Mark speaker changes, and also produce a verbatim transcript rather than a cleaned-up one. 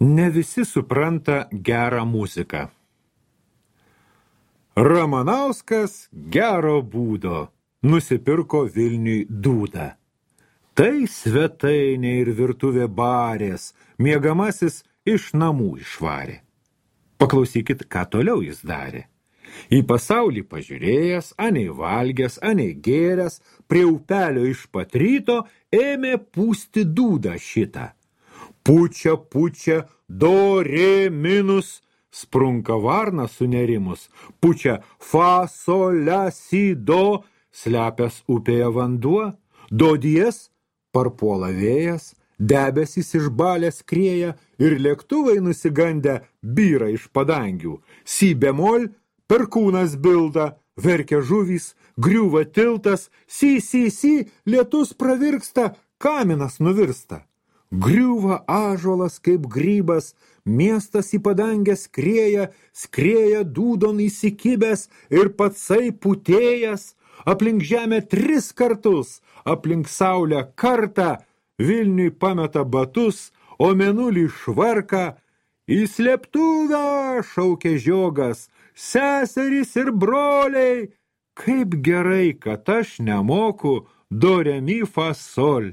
Speaker 1: Ne visi supranta gerą muziką. Ramanauskas gero būdo nusipirko Vilniui dūdą. Tai svetainė ir virtuvė barės, miegamasis iš namų išvarė. Paklausykit, ką toliau jis darė. Į pasaulį pažiūrėjęs, anei valgęs, anei gėręs, prie upelio iš pat ryto ėmė pūsti dūdą šitą. Pučia, pučia, do, re, minus, sprunka varna sunerimus, pučia fa, sol, la, si, do, slepias upėje vanduo, do dies, parpuola vėjas, debesys išbalę skrieja ir lėktuvai nusigandę byra iš padangių, si bemol, perkūnas bilda, verkia žuvys, griūva tiltas, si, si, si, lietus pravirksta, kaminas nuvirsta. Griūva ąžuolas kaip grybas, miestas į padangę skrieja, skrieja dūdon įsikibęs ir patsai putėjas, aplink žemę tris kartus, aplink saulę kartą, Vilniui pameta batus, o mėnulį švarka, į slėptuvę šaukia žiogas, seserys ir broliai, kaip gerai, kad aš nemoku do, re, mi, fa, sol.